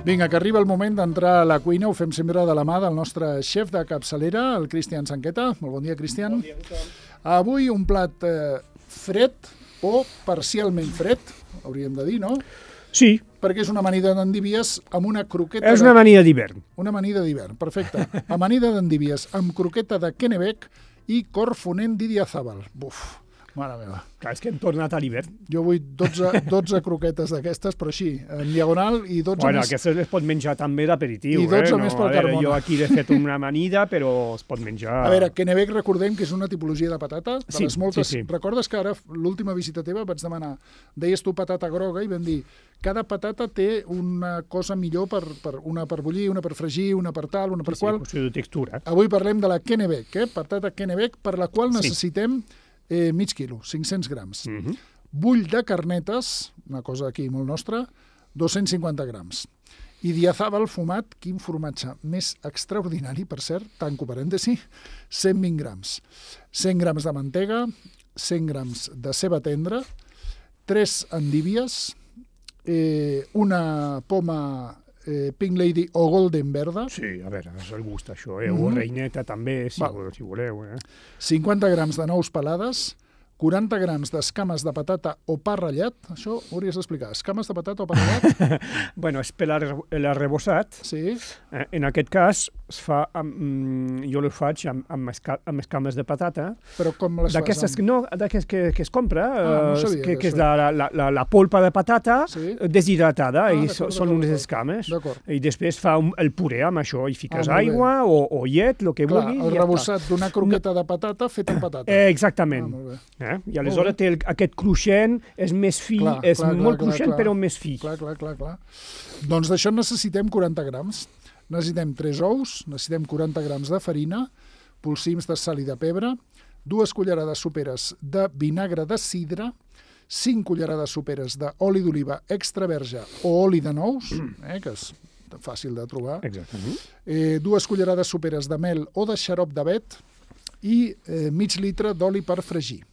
Vinga, que arriba el moment d'entrar a la cuina. Ho fem sempre de la mà del nostre xef de capçalera, el Cristian Sanqueta. Molt bon dia, Cristian. Bon dia a tothom. Avui un plat fred o parcialment fred, hauríem de dir, no? Sí, Perquè és una amanida d'endívies amb una croqueta... és una amanida d'hivern. Una amanida d'hivern, perfecte. Amanida d'endívies amb croqueta de Kennebec i corfonent d'Idiazabal. Buf, mare meva. Clar, és que hem tornat a l'hivern. Jo vull 12 croquetes d'aquestes, però així, en diagonal, i 12 Bueno, més... aquestes les pot menjar també d'aperitiu. I 12 més pel a veure, Carmona. jo aquí he fet una amanida, però es pot menjar... A veure, Kennebec recordem que és una tipologia de patata, de Sí, les moltes... sí. Recordes que ara, l'última visita teva, vaig demanar, deies tu patata groga, i vam dir, cada patata té una cosa millor, una per bullir, una per fregir, una per tal, una per qual... qüestió de textura. Avui parlem de la Kennebec, patata Kennebec, per la qual necessitem mig quilo, 500 grams. Bull de carnetes, una cosa aquí molt nostra, 250 grams. I Idiazabal fumat, quin formatge més extraordinari, per cert, tanco parèntesi, 120 grams. 100 grams de mantega, 100 grams de ceba tendra, 3 endívies, una poma Pink Lady o Golden verda, Sí, a veure, és el gust, això, o reineta també, si voleu. 50 grams de nous pelades, 40 grams d'escames de patata o pa ratllat. Això ho hauries d'explicar. Escames de patata o pa ratllat? Bueno, és per l'arrebossat. Sí. En aquest cas, es fa jo ho faig amb escames de patata. Però com les fas? D'aquestes que es compra, no sabia que és la polpa de patata deshidratada, i són unes escames. D'acord. I després fa el puré amb això, i fiques aigua o llet, el que Clar, vulguis. el rebossat d'una croqueta de patata fet amb patata. Exactament. Molt bé. I aleshores té aquest cruixent, és més fi, és molt cruixent però més fi. Clar. Doncs d'això necessitem 40 grams. Necessitem 3 ous, necessitem 40 grams de farina, polsims de sal i de pebre, 2 cullerades soperes de vinagre de sidra, 5 cullerades soperes d'oli d'oliva extra verge o oli de nous, que és fàcil de trobar, Exactament. 2 cullerades soperes de mel o de xarop d'avet i mig litre d'oli per fregir.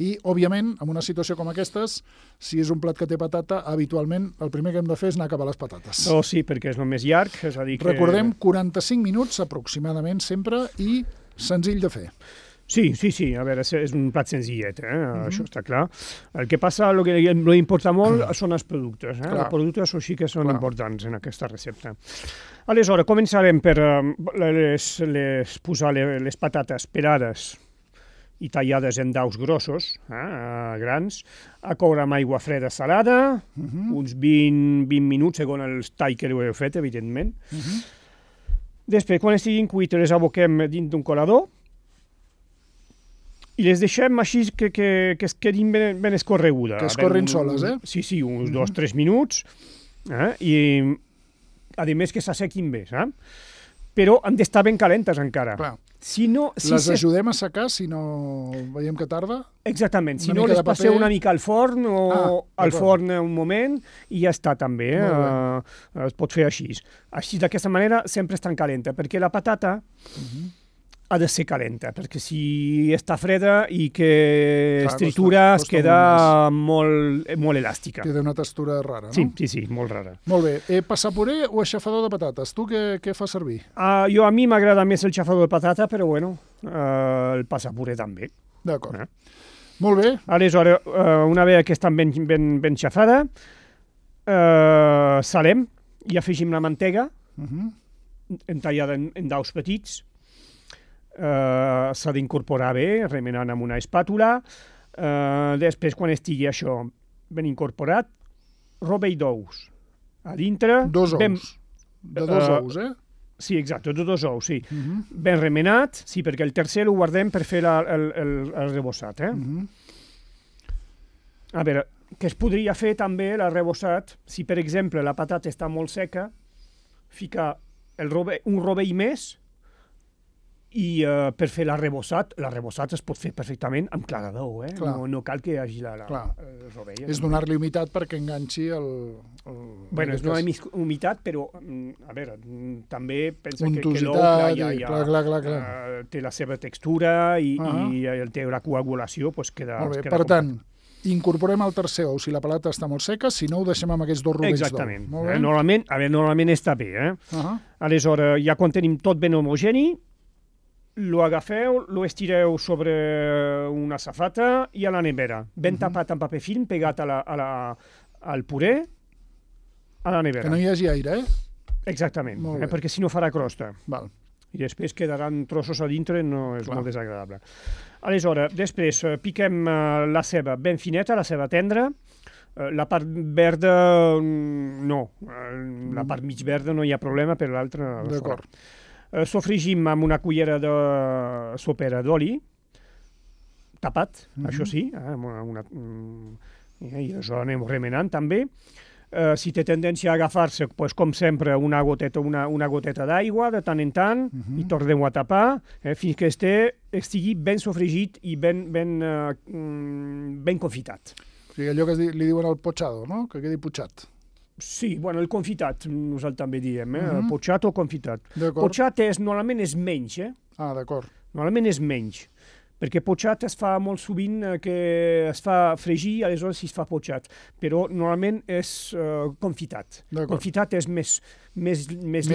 I, òbviament, en una situació com aquestes, si és un plat que té patata, habitualment el primer que hem de fer és anar cap a les patates. Oh, sí, perquè és el més llarg, és a dir que... Recordem, 45 minuts aproximadament sempre i senzill de fer. Sí, a veure, és un plat senzillet, això està clar. El que passa, el que importa molt són els productes. Els productes sí que són importants en aquesta recepta. Aleshores, començarem per posar les patates pelades i tallades en daus grossos, grans, a coure amb aigua freda salada, uns 20 minuts, segons el tall que heu fet, evidentment. Després, quan estiguin cuites, les aboquem dins d'un colador i les deixem així que es quedin ben escorregudes. Que escorrin soles, Sí, uns 2-3 minuts, i a més que s'assequin bé, però han d'estar ben calentes encara. Clar. Les ajudem a secar si no veiem que tarda? Exactament, si no les passeu una mica al forn o al forn un moment i ja està també, es pot fer així. Així d'aquesta manera sempre estan calenta, perquè la patata ha de ser calenta, perquè si està freda i que es tritura es queda molt elàstica. Queda una textura rara, no? Sí, molt rara. Molt bé. Passapuré o aixafador de patates? Tu què fas servir? A mi m'agrada més el xafador de patata, però bueno, el passapuré també. D'acord. Molt bé. Aleshores, una vegada que estan ben xafada, salem i afegim la mantega, entallada en daus petits. S'ha d'incorporar bé, remenant amb una espàtula. Després, quan estigui això ben incorporat, rovell d'ous. A dintre... 2 ous. De 2 ous, Sí, exacte, de 2 ous, sí. Ben remenat, sí, perquè el tercer ho guardem per fer el rebossat. A veure, què es podria fer també, l'arrebossat, si per exemple la patata està molt seca, ficar un rovell més, i per fer l'arrebossat es pot fer perfectament amb clarador, no cal que hi hagi el rovell. És donar-li humitat perquè enganxi el... Bueno, és donar-li humitat, però, a veure, també pensa que l'ou té la seva textura i té la coagulació, queda... Molt bé, per tant, Incorporem el tercer ou si la palata està molt seca, si no ho deixem amb aquests 2 rovells d'ou. Exactament. Normalment està bé. Aleshores, ja quan tenim tot ben homogeni, lo agafeu, lo estireu sobre una safata i a la nevera. Ben tapat amb paper film, pegat al puré, a la nevera. Que no hi hagi aire, Exactament, perquè si no farà crosta. Val. I després quedaran trossos a dintre, no és molt desagradable. Aleshores, després piquem la ceba ben fineta, la ceba tendra. La part verda, no. La part mig verda no hi ha problema, per l'altra... D'acord. Sofregim amb una cullera de sopera d'oli, tapat, això sí, i això anem remenant també. Si té tendència a agafar-se, com sempre, una goteta d'aigua de tant en tant, i tornem a tapar fins que estigui ben sofregit i ben confitat. O sigui, allò que li diuen el pochado, no? Que quedi putxat. Sí, bueno, el confitat, nosaltres també diem, potxat o confitat. Potxat normalment és menys, Ah, d'acord. Normalment és menys. Perquè potxat es fa molt sovint que es fa fregir, aleshores es fa potxat, però normalment és confitat. Confitat és més lent, més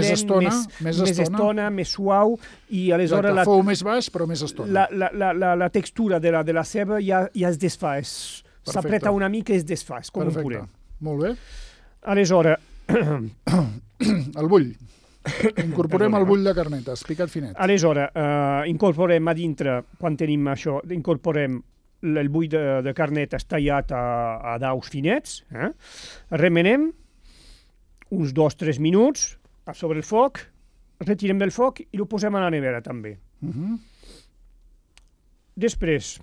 estona, més suau, i aleshores... Fou més baix, però més estona. La textura de la ceba ja es desfà, s'apreta una mica i es desfà, és com un puré. Molt bé. Aleshores... El bull. Incorporem el bull de carnetes, picat finet. Aleshores, incorporem a dintre, quan tenim això, incorporem el bull de carnetes tallat a daus finets, remenem uns 2-3 minuts sobre el foc, retirem del foc i ho posem a la nevera també. Després,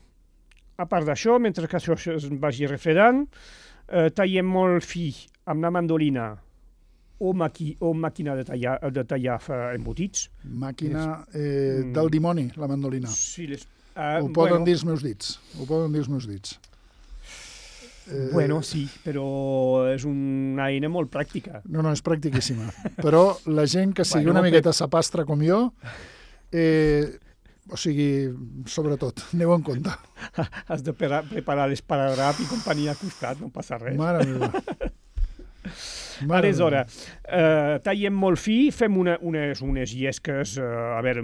a part d'això, mentre que això es vagi refredant, tallem molt fi amb la mandolina o màquina de tallar embotits. Màquina del dimoni, la mandolina. Sí, ho poden dir els meus dits. Bueno, sí, però és una eina molt pràctica. No, és practiquíssima. Però la gent que sigui una miqueta sapastre com jo, o sigui, sobretot, aneu en compte. Has de preparar l'esparadrap i companyia a costat, no passa res. Mare meva. Aleshores, tallem molt fi, fem unes llesques, a veure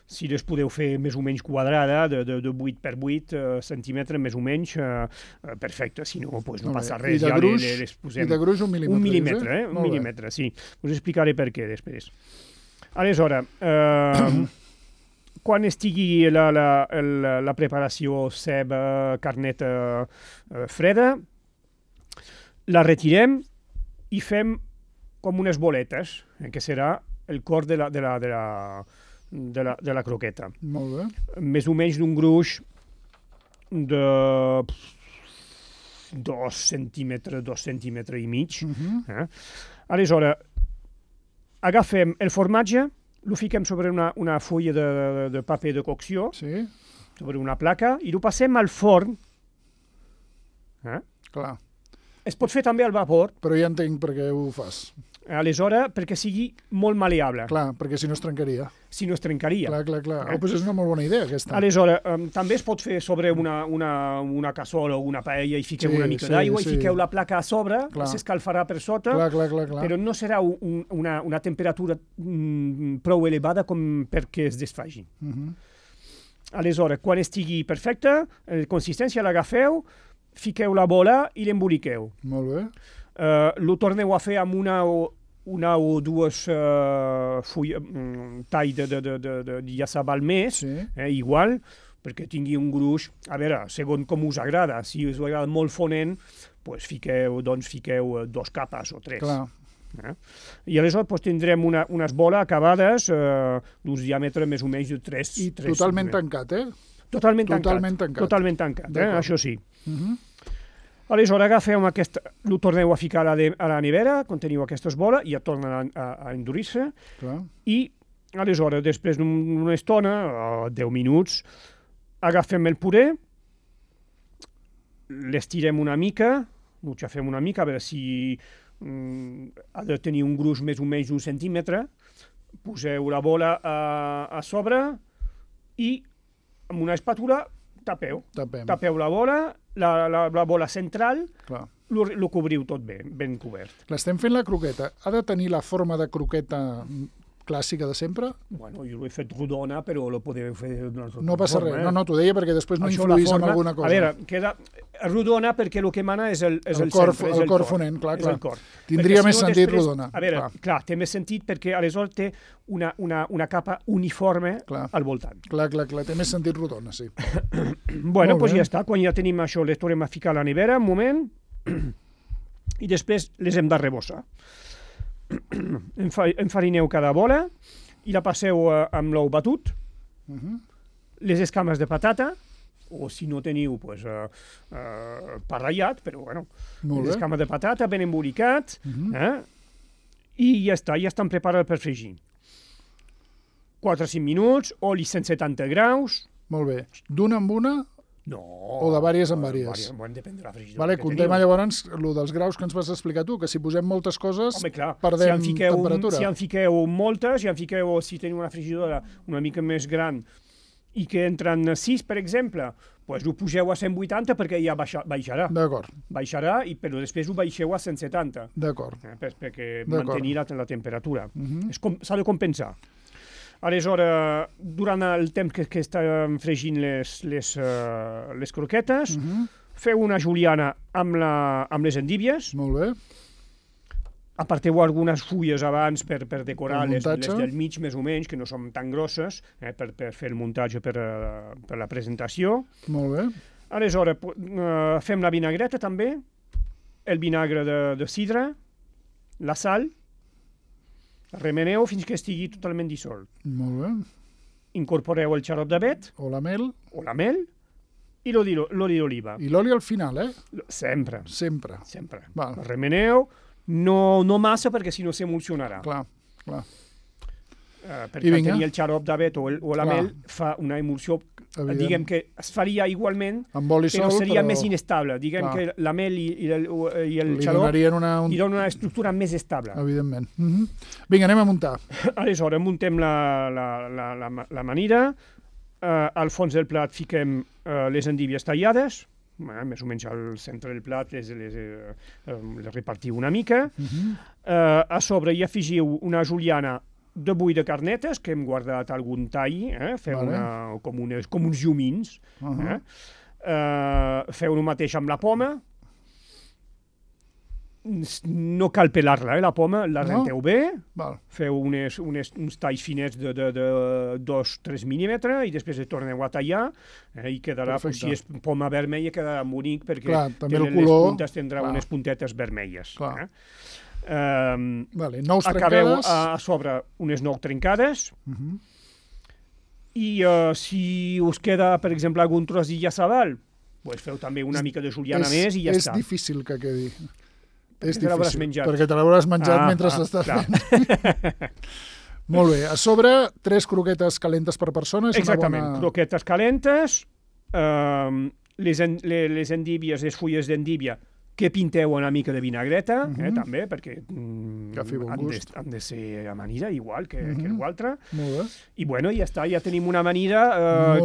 si les podeu fer més o menys quadrada, de 8 per 8 centímetres, més o menys, perfecte, si no, no passa res. I de gruix 1 mil·límetre. 1 mil·límetre, 1 mil·límetre, sí. Us explicaré per què després. Aleshores, quan estigui la preparació ceba, carneta freda, la retirem i fem com unes boletes, que serà el cor de la croqueta. Molt bé. Més o menys d'un gruix de 2 centímetres i mig. Aleshores, agafem el formatge, lo fiquem sobre una fulla de paper de cocció, sobre una placa, i ho passem al forn. Clar. Es pot fer també al vapor. Però ja entenc per què ho fas. Aleshores, perquè sigui molt maleable. Clar, perquè si no es trencaria. Clar. Doncs és una molt bona idea, aquesta. Aleshores, també es pot fer sobre una cassola o una paella i fiqueu una mica d'aigua i fiqueu la placa a sobre, s'escalfarà per sota, però no serà una temperatura prou elevada com perquè es desfagi. Aleshores, quan estigui perfecta, la consistència l'agafeu, fiqueu la bola i l'emboliqueu. Molt bé. Lo torneu a fer amb una o dues talls de llaçar al mes, igual, perquè tingui un gruix, a veure, segons com us agrada. Si us agrada molt fonent, fiqueu 2 capes o 3. Clar. I aleshores tindrem unes boles acabades d'uns diàmetres més o menys de 3 I totalment tancat, Totalment tancat, això sí. Aleshores agafeu ho torneu a ficar a la nevera, quan teniu aquestes boles, i ja tornen a endurir-se, i aleshores, després d'una estona, 10 minuts, agafem el puré, l'estirem una mica, ho xafem una mica, a veure si ha de tenir un gruix més o menys d'un centímetre, poseu la bola a sobre i amb una espàtula Tapeu la bola, la bola central, lo cobriu tot bé, ben cobert. Estem fent la croqueta. Ha de tenir la forma de croqueta clàssica de sempre? Bueno, jo l'he fet rodona, però lo podeu fer d'una altra forma. No passa res, no, t'ho deia perquè després no influís en alguna cosa. A veure, queda rodona perquè el que mana és el cor fonent, clar. Tindria més sentit rodona. A veure, clar, té més sentit perquè aleshores té una capa uniforme al voltant. Clar, té més sentit rodona, sí. Bueno, doncs ja està, quan ja tenim això, les tornem a ficar a la nevera, un moment, i després les hem de rebossar. Enfarineu cada bola i la passeu amb l'ou batut, les escames de patata, o si no teniu, doncs, pa ratllat, però bueno, les escames de patata ben embolicat, i ja està, ja estan preparats per fregir. 4 o 5 minuts, oli 170 graus. Molt bé. D'una en una? No. O de vàries en vàries? Bueno, depèn de la frigidora. Vale, contem llavors el dels graus que ens vas explicar tu, que si posem moltes coses perdem temperatura. Si en fiqueu moltes, si teniu una frigidora una mica més gran i que entren 6, per exemple, doncs ho pugeu a 180 perquè ja baixarà. D'acord. Baixarà, però després ho baixeu a 170. D'acord. Perquè mantenir la temperatura. S'ha de compensar. Aleshores, durant el temps que estan fregint les croquetes, feu una juliana amb les endívies. Molt bé. Aparteu algunes fulles abans per decorar les del mig, més o menys, que no són tan grosses, per fer el muntatge per la presentació. Molt bé. Aleshores, fem la vinagreta també, el vinagre de sidra, la sal, remeneu fins que estigui totalment dissolt. Molt bé. Incorporeu el xarop d'avet. O la mel. I l'oli d'oliva. I l'oli al final, Sempre. Val. Remeneu, no massa perquè si no s'emulsionarà. Clar. Perquè tenir el xarop d'avet o la mel fa una emulsió, diguem que es faria igualment, però seria més inestable. Diguem que la mel i el xarop li donen una estructura més estable. Evidentment. Vinga, anem a muntar. Aleshores, muntem la manida. Al fons del plat fiquem les endívies tallades, més o menys al centre del plat les repartiu una mica. A sobre hi afegiu una juliana de bull de carnetes, que hem guardat algun tall, feu com uns llumins. Feu el mateix amb la poma. No cal pelar-la, la poma, la renteu bé, feu uns talls finets de 2-3 mil·límetres i després torneu a tallar i quedarà, si és poma vermella, quedarà bonic perquè les puntes tindrà unes puntetes vermelles. Acabeu a sobre unes 9 trencades i si us queda, per exemple, algun tros d'illa-sabal, feu també una mica de juliana més i ja està. És difícil que quedi. És difícil, perquè te l'hauràs menjat mentre s'estàs fent. Molt bé. A sobre, 3 croquetes calentes per persona. Exactament, croquetes calentes, les endívies, les fulles d'endívia, que pinteu una mica de vinagreta, també, perquè han de ser amanida, igual que l'altra. I bueno, ja està, ja tenim una amanida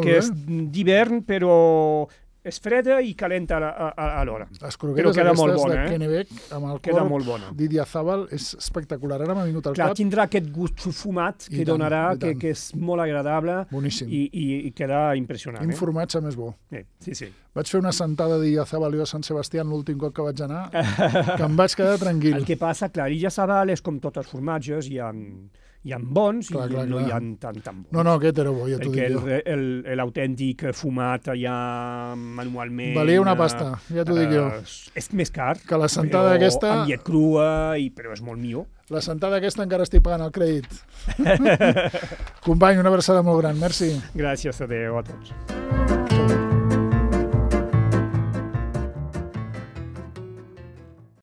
que és d'hivern, però és freda i calenta alhora. Les croquetes aquestes de Kennebec amb el corp d'Idiazábal és espectacular. Ara m'ha vingut al cap. Tindrà aquest gust fumat que donarà, que és molt agradable i queda impressionant. Quin formatge més bo. Sí. Vaig fer una sentada d'Idiazábal a Sant Sebastià l'últim cop que vaig anar, que em vaig quedar tranquil. El que passa, clar, Idiazábal és com tots els formatges, hi ha bons i no hi ha tan bons. No, aquest era bo, ja t'ho dic jo. Perquè l'autèntic fumat allà manualment... Valia una pasta, ja t'ho dic jo. És més car, que la sentada aquesta... amb llet crua, però és molt millor. La sentada aquesta encara estic pagant el crèdit. Company, una abraçada molt gran, merci. Gràcies, adéu a tots.